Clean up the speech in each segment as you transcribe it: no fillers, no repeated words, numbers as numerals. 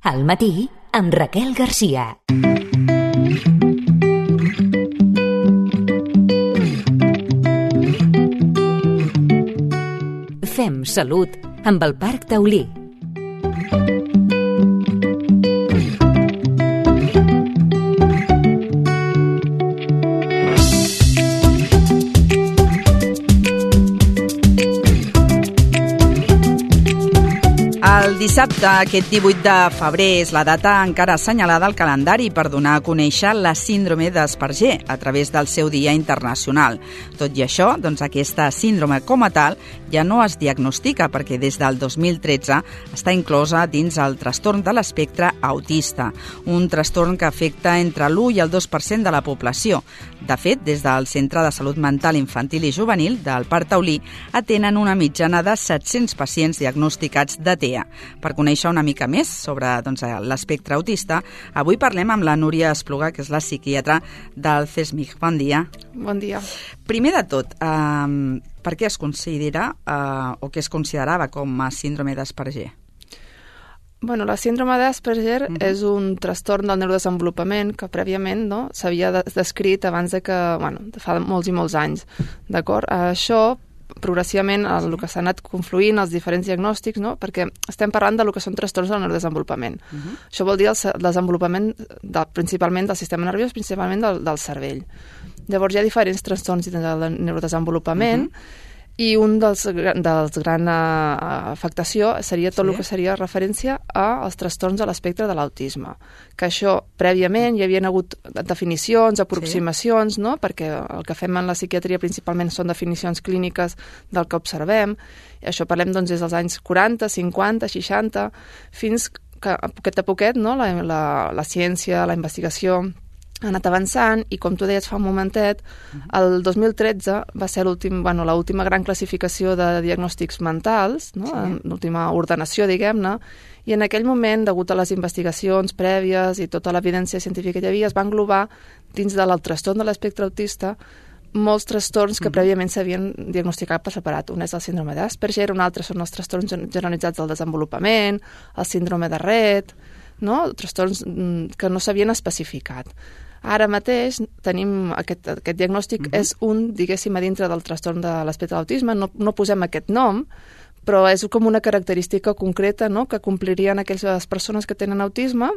Al matí, amb Raquel Garcia. Fem salut amb el Parc Taulí. El dissabte, aquest 18 de febrer, és la data encara assenyalada al calendari per donar a conèixer la síndrome d'Asperger a través del seu Dia Internacional. Tot i això, doncs aquesta síndrome com a tal ja no es diagnostica perquè des del 2013 està inclosa dins el trastorn de l'espectre autista, un trastorn que afecta entre l'1 i el 2% de la població. De fet, des del Centre de Salut Mental Infantil i Juvenil del Parc Taulí atenen una mitjana de 700 pacients diagnosticats de TEA. Per conèixer una mica més sobre l'espectre autista, avui parlem amb la Núria Espluga, que és la psiquiatra del CESMIC. Bon dia. Bon dia. Primer de tot, per què es considera o què es considerava com a síndrome d'Asperger? Bueno, la síndrome d'Asperger és un trastorn del neurodesenvolupament que prèviament s'havia descrit abans de que, fa molts i molts anys, d'acord? Això progressivament el que s'ha anat confluint els diferents diagnòstics, perquè estem parlant del que són trastorns del neurodesenvolupament. Això vol dir el desenvolupament principalment del sistema nerviós, principalment del cervell. Llavors hi ha diferents trastorns del neurodesenvolupament i un dels gran afectació seria tot el que seria referència als trastorns de l'espectre de l'autisme. Que això, prèviament, hi havia hagut definicions, aproximacions, perquè el que fem en la psiquiatria principalment són definicions clíniques del que observem. I això parlem des dels anys 40, 50, 60, fins que a poquet la ciència, la investigació ha anat avançant i, com tu deies fa un momentet, el 2013 va ser l'última gran classificació de diagnòstics mentals, l'última ordenació, diguem-ne, i en aquell moment, degut a les investigacions prèvies i tota l'evidència científica que hi havia, es va englobar dins del trastorn de l'espectre autista molts trastorns que prèviament s'havien diagnosticat per separat. Un és el síndrome d'Asperger, un altre són els trastorns generalitzats del desenvolupament, el síndrome de Rett, trastorns que no s'havien especificat. Ara mateix tenim aquest diagnòstic, és diguéssim, a dintre del trastorn de l'espectre de l'autisme, no posem aquest nom, però és com una característica concreta que complirien aquelles persones que tenen autisme,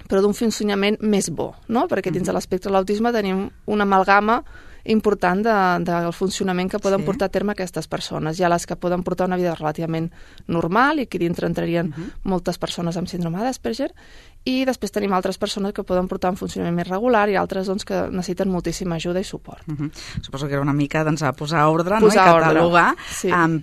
però d'un funcionament més bo, perquè dins de l'espectre de l'autisme tenim una amalgama important del funcionament que poden portar a terme aquestes persones. Hi ha les que poden portar una vida relativament normal i aquí dintre entrarien moltes persones amb síndrome d'Asperger, i després tenim altres persones que poden portar un funcionament més regular i altres que necessiten moltíssima ajuda i suport. Suposo que era una mica a posar ordre i catalogar,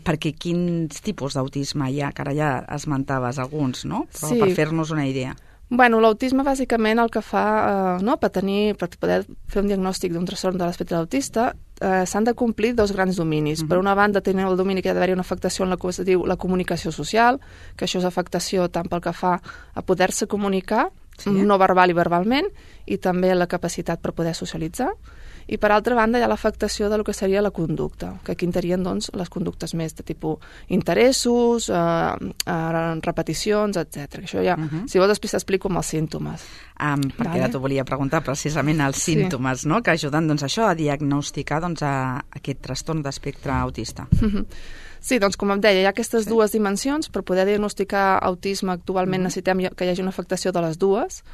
perquè quins tipus d'autisme hi ha, que ara ja esmentaves alguns, però per fer-nos una idea. Bueno, l'autisme bàsicament el que fa, per poder fer un diagnòstic d'un trastorn de l'espectre autista, s'han de complir dos grans dominis. Per una banda, tenir el domini que ha d'haver-hi una afectació en la que es diu la comunicació social, que això és afectació tant pel que fa a poder-se comunicar, no verbal i verbalment, i també la capacitat per poder socialitzar. I per altra banda hi ha l'afectació del que seria la conducta, que aquí entrarien les conductes més de tipus interessos, repeticions, etc. Això ja, si vols després t'explico amb els símptomes. Perquè ara t'ho volia preguntar precisament els símptomes, que ajuden això a diagnosticar aquest trastorn d'espectre autista. Sí, doncs com em deia, hi ha aquestes dues dimensions. Per poder diagnosticar autisme actualment necessitem que hi hagi una afectació de les dues.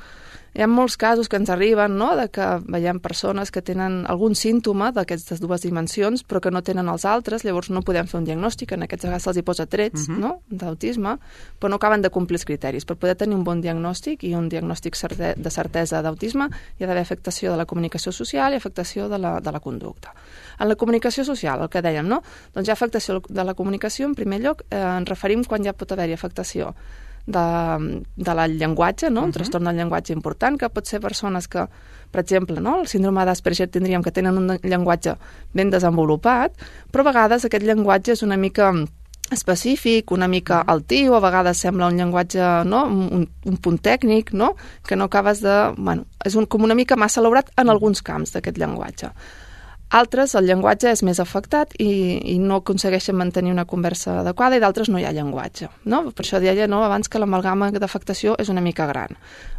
Hi ha molts casos que ens arriben, de que veiem persones que tenen algun símptoma d'aquestes dues dimensions, però que no tenen els altres, llavors no podem fer un diagnòstic, en aquests casos se'ls hi posa trets d'autisme, però no acaben de complir els criteris. Per poder tenir un bon diagnòstic i un diagnòstic de certesa d'autisme hi ha d'haver afectació de la comunicació social i afectació de la conducta. En la comunicació social, el que dèiem, doncs hi ha afectació de la comunicació, en primer lloc, ens referim quan ja pot haver-hi afectació del llenguatge, un trastorn del llenguatge important, que pot ser persones que, per exemple, el síndrome d'Asperger tindríem que tenen un llenguatge ben desenvolupat, però a vegades aquest llenguatge és una mica específic, una mica altiu, a vegades sembla un llenguatge, un punt tècnic, que no acabes de... és com una mica massa elaborat en alguns camps d'aquest llenguatge. Altres, el llenguatge és més afectat i no aconsegueixen mantenir una conversa adequada, i d'altres no hi ha llenguatge. No? Per això deia abans que l'amalgama d'afectació és una mica gran.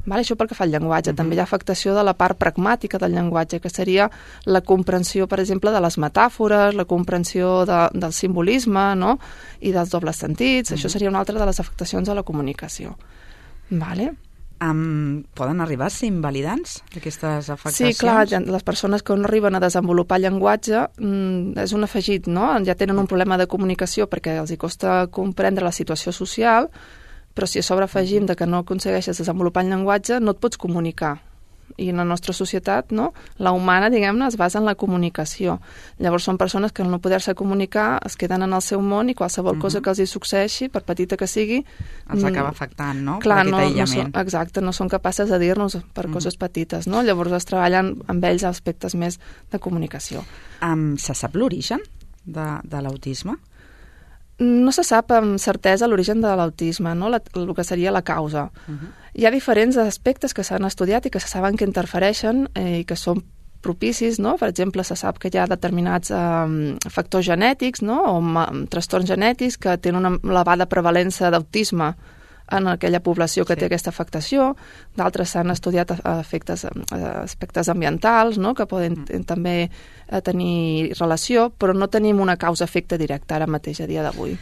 Això pel que fa al llenguatge. També hi ha afectació de la part pragmàtica del llenguatge, que seria la comprensió, per exemple, de les metàfores, la comprensió del simbolisme, no? I dels dobles sentits. Això seria una altra de les afectacions a la comunicació. Poden arribar a ser invalidants, aquestes afectacions? Sí, clar, les persones que no arriben a desenvolupar llenguatge és un afegit, no? Ja tenen un problema de comunicació perquè els hi costa comprendre la situació social, però si a sobre afegim que no aconsegueixes desenvolupar el llenguatge, no et pots comunicar. I en la nostra societat, no? La humana, diguem-ne, es basa en la comunicació. Llavors són persones que al no poder-se comunicar es queden en el seu món i qualsevol cosa que els hi succeeixi, per petita que sigui... Els acaba afectant, no? Clar, exacte, no són capaces de dir-nos per coses petites, no? Llavors es treballen amb ells aspectes més de comunicació. Se sap l'origen de l'autisme? No se sap amb certesa l'origen de l'autisme, no? El que seria la causa. Hi ha diferents aspectes que s'han estudiat i que se saben que interfereixen i que són propicis, no? Per exemple, se sap que hi ha determinats factors genètics, no? O trastorns genètics que tenen una elevada prevalença d'autisme en aquella població que té aquesta afectació. D'altres s'han estudiat aspectes ambientals, no? Que poden també tenir relació, però no tenim una causa-efecte directa ara mateix, a dia d'avui.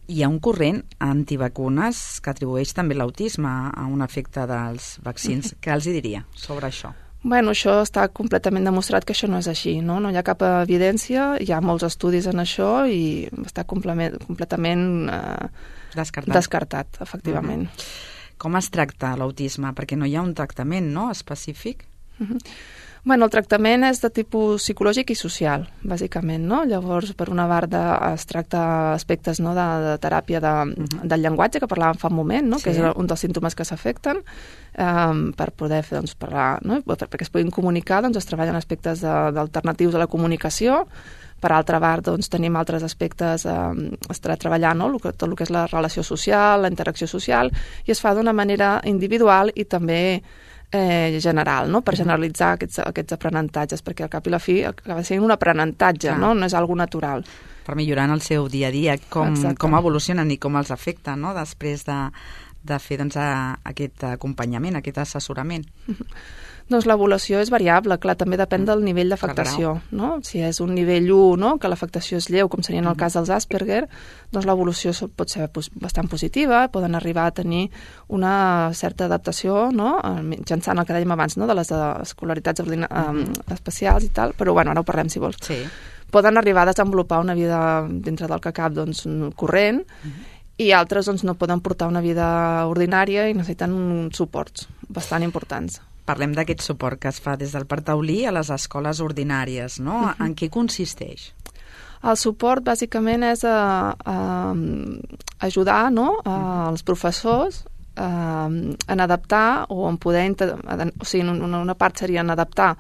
Hi ha un corrent antivacunes que atribueix també l'autisme a un efecte dels vaccins. Què els diria sobre això? Bueno, això està completament demostrat que això no és així, no? No hi ha cap evidència, hi ha molts estudis en això i està completament descartat, efectivament. Com es tracta l'autisme? Perquè no hi ha un tractament, no?, específic? Bueno, el tractament és de tipus psicològic i social, bàsicament, no? Llavors, per una banda, es tracta aspectes, no, de teràpia del llenguatge, que parlàvem fa un moment, no? Que és un dels símptomes que s'afecten, per poder parlar, no? Perquè es puguin comunicar, es treballen aspectes alternatius a la comunicació. Per altra part, tenim altres aspectes a treballar, no? Tot el que és la relació social, la interacció social, i es fa d'una manera individual i també general, no? Per generalitzar aquests aprenentatges, perquè al cap i la fi acaba sent un aprenentatge, no? No és algo natural. Per millorar en el seu dia a dia, com evolucionen i com els afecta, no?, després de fer aquest acompanyament, aquest assessorament. Doncs l'evolució és variable, clar, també depèn del nivell d'afectació, no? Si és un nivell 1, no?, que l'afectació és lleu, com seria en el cas dels Asperger, doncs l'evolució pot ser bastant positiva, poden arribar a tenir una certa adaptació, no?, mitjançant el que dèiem abans, no?, de les escolaritats especials i tal, però bueno, ara ho parlem si vols. Sí. Poden arribar a desenvolupar una vida dintre del que cap, corrent, i altres no poden portar una vida ordinària i necessiten uns suports bastant importants. Parlem d'aquest suport que es fa des del Parc Taulí a les escoles ordinàries, no? En què consisteix? El suport, bàsicament, és ajudar, no?, els professors en adaptar o en poder... O sigui, una part seria en adaptar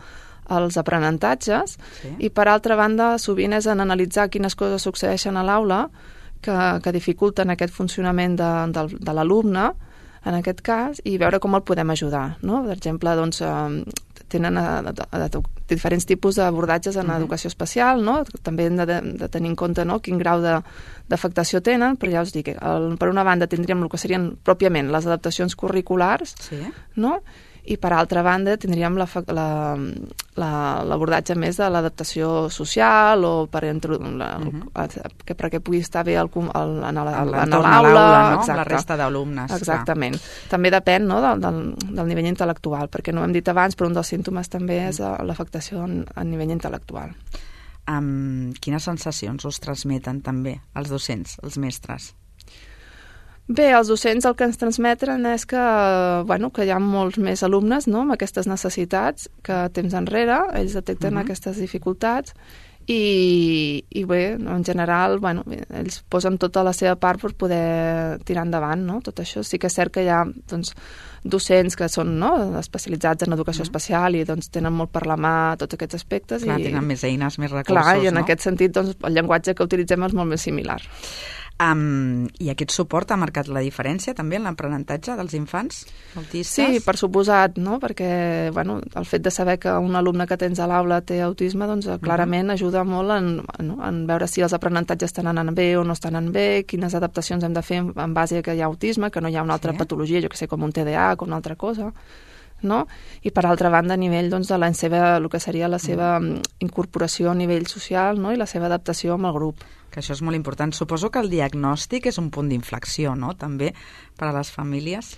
els aprenentatges i, per altra banda, sovint és en analitzar quines coses succeeixen a l'aula que dificulten aquest funcionament de l'alumne, en aquest cas, i veure com el podem ajudar, no? Per exemple, tenen diferents tipus d'abordatges en educació especial, no? També hem de tenir en compte, no?, quin grau d'afectació tenen, però ja us dic, per una banda tindríem el que serien pròpiament les adaptacions curriculars, no?, i per altra banda tindríem l'abordatge més de l'adaptació social o perquè pugui estar bé en l'aula, no? La resta d'alumnes. Exactament. També depèn, no?, del nivell intel·lectual, perquè no ho hem dit abans, però un dels símptomes també és l'afectació a nivell intel·lectual. Quines sensacions us transmeten també els docents, els mestres? Bé, els docents el que ens transmeten és que hi ha molts més alumnes, no?, amb aquestes necessitats que temps enrere, ells detecten aquestes dificultats i bé, en general, ells posen tota la seva part per poder tirar endavant, no?, tot això. Sí que és cert que hi ha, docents que són, no?, especialitzats en educació especial i tenen molt per la mà tots aquests aspectes. Clar, tenen més eines, més recursos, no? Clar, i en aquest sentit, el llenguatge que utilitzem és molt més similar. I aquest suport ha marcat la diferència també en l'aprenentatge dels infants autistes? Sí, per suposat, no? Perquè el fet de saber que un alumne que tens a l'aula té autisme, doncs clarament ajuda molt en veure si els aprenentatges estan anant bé o no estan anant bé, quines adaptacions hem de fer en base a que hi ha autisme, que no hi ha una altra patologia, jo que sé, com un TDA, com una altra cosa, no? I per altra banda, a nivell doncs, de el que seria la seva incorporació a nivell social, no? I la seva adaptació amb el grup. Que això és molt important. Suposo que el diagnòstic és un punt d'inflexió, no?, també per a les famílies.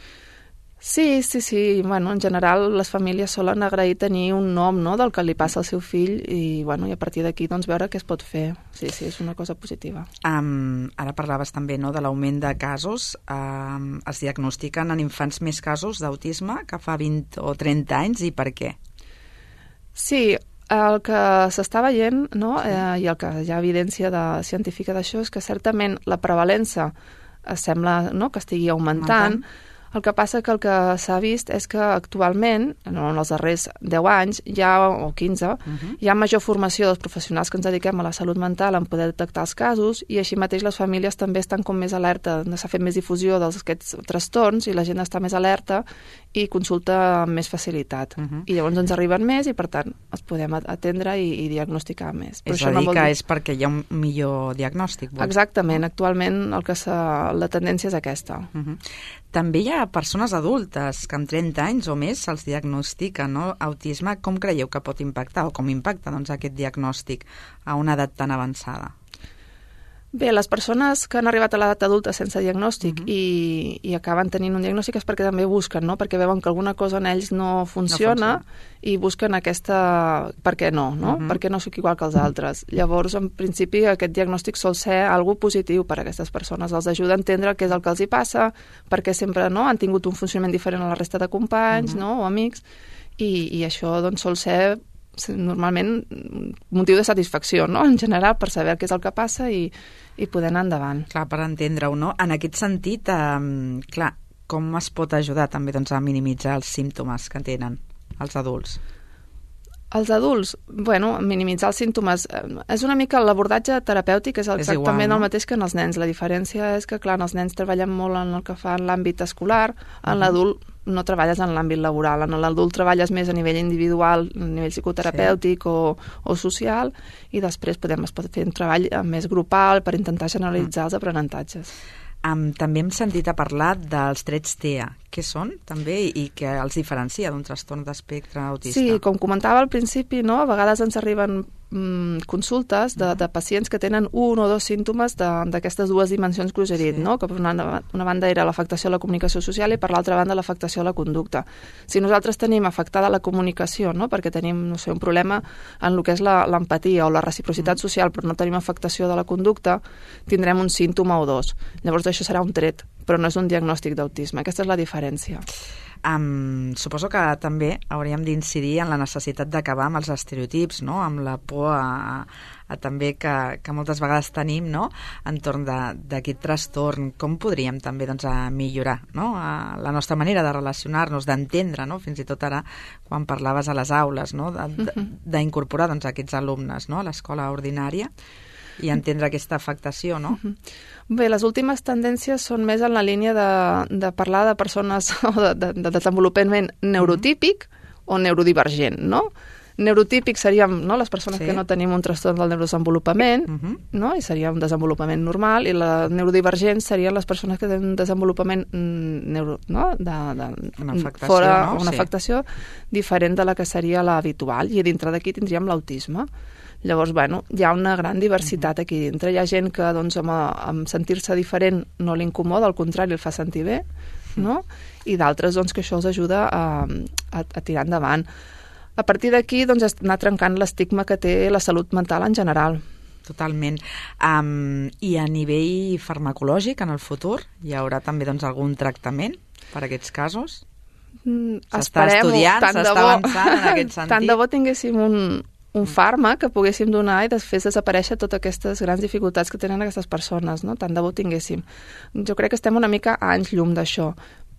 Sí. En general, les famílies solen agrair tenir un nom, no?, del que li passa al seu fill i a partir d'aquí doncs, veure què es pot fer. Sí, és una cosa positiva. Ara parlaves també, no?, de l'augment de casos. Es diagnostiquen en infants més casos d'autisme que fa 20 o 30 anys, i per què? Sí, el que s'està veient, no?, i el que hi ha evidència científica d'això és que certament la prevalença sembla, no?, que estigui augmentant. El que passa que el que s'ha vist és que actualment, en els darrers 10 anys, o 15, hi ha major formació dels professionals que ens dediquem a la salut mental en poder detectar els casos, i així mateix les famílies també estan com més alerta, s'ha fet més difusió d'aquests trastorns i la gent està més alerta i consulta amb més facilitat. I llavors ens arriben més i, per tant, els podem atendre i diagnosticar més. És a dir, que és perquè hi ha un millor diagnòstic. Exactament. Actualment la tendència és aquesta. També hi ha persones adultes que amb 30 anys o més se'ls diagnostica, no?, autisme. Com creieu que pot impactar o com impacta aquest diagnòstic a una edat tan avançada? Bé, les persones que han arribat a l'edat adulta sense diagnòstic i acaben tenint un diagnòstic és perquè també busquen, no?, perquè veuen que alguna cosa en ells no funciona i busquen aquesta... Per què no? Per què no soc igual que els altres? Llavors, en principi, aquest diagnòstic sol ser algo positiu per a aquestes persones. Els ajuda a entendre què és el que els hi passa, perquè sempre han tingut un funcionament diferent a la resta de companys, no?, o amics, i això doncs, sol ser normalment motiu de satisfacció, no?, en general, per saber què és el que passa i poder anar endavant. Clar, per entendre-ho, no? En aquest sentit, clar, com es pot ajudar també doncs, a minimitzar els símptomes que tenen els adults? Els adults, minimitzar els símptomes és una mica l'abordatge terapèutic, és exactament igual, no? El mateix que en els nens. La diferència és que, clar, en els nens treballem molt en el que fa en l'àmbit escolar, en l'adult no treballes en l'àmbit laboral, en l'adult treballes més a nivell individual, a nivell psicoterapèutic o social, i després es pot fer un treball més grupal per intentar generalitzar els aprenentatges. També hem sentit a parlar dels trets TEA. Què són, també, i què els diferencia d'un trastorn d'espectre autista? Sí, com comentava al principi, no? A vegades ens arriben consultes de pacients que tenen un o dos símptomes d'aquestes dues dimensions que us he dit, no? Que per una banda era l'afectació a la comunicació social i per l'altra banda l'afectació a la conducta. Si nosaltres tenim afectada la comunicació, no? Perquè tenim, no sé, un problema en el que és l'empatia o la reciprocitat social, però no tenim afectació de la conducta, tindrem un símptoma o dos. Llavors això serà un tret, però no és un diagnòstic d'autisme. Aquesta és la diferència. Suposo que també hauríem d'incidir en la necessitat d'acabar amb els estereotips, no?, amb la por a també que moltes vegades tenim, no?, entorn d'aquest trastorn. Com podríem també doncs, millorar, no?, la nostra manera de relacionar-nos, d'entendre, no?, fins i tot ara quan parlaves a les aules, no?, d'incorporar doncs, aquests alumnes, no?, a l'escola ordinària i entendre aquesta afectació, no? Bé, les últimes tendències són més en la línia de parlar de persones o de desenvolupament neurotípic o neurodivergent, no? Neurotípic seríem, no?, les persones que no tenim un trastorn del neurodesenvolupament, no?, i seria un desenvolupament normal, i la neurodivergent serien les persones que tenen un desenvolupament una afectació diferent de la que seria l'habitual, i dintre d'aquí tindríem l'autisme. Llavors, hi ha una gran diversitat aquí dintre. Hi ha gent que, doncs, amb sentir-se diferent no l'incomoda, al contrari, el fa sentir bé, no? I d'altres, doncs, que això els ajuda a tirar endavant. A partir d'aquí, doncs, és anar trencant l'estigma que té la salut mental en general. Totalment. I a nivell farmacològic, en el futur, hi haurà també doncs, algun tractament per a aquests casos? S'està estudiant, s'està avançant en aquest sentit? Tant de bo tinguéssim un fàrmac que poguéssim donar i després desaparèixer totes aquestes grans dificultats que tenen aquestes persones, no? Tant de bo tinguéssim. Jo crec que estem una mica a anys llum d'això,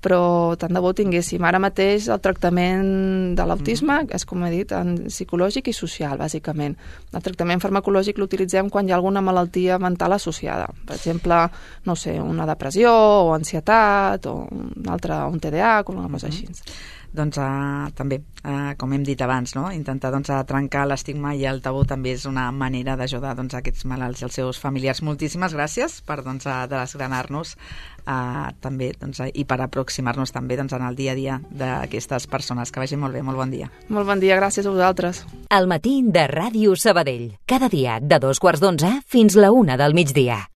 però tant de bo tinguéssim. Ara mateix el tractament de l'autisme és, com he dit, psicològic i social, bàsicament. El tractament farmacològic l'utilitzem quan hi ha alguna malaltia mental associada. Per exemple, no sé, una depressió o ansietat o un TDAH o una cosa així. Doncs també, com hem dit abans, no? Intentar trencar l'estigma i el tabú també és una manera d'ajudar aquests malalts i els seus familiars. Moltíssimes gràcies per desgranar-nos també i per aproximar-nos també en el dia a dia d'aquestes persones. Que vagi molt bé, molt bon dia. Molt bon dia, gràcies a vosaltres. El matí de Ràdio Sabadell. Cada dia de 2:15 fins la 1 del migdia.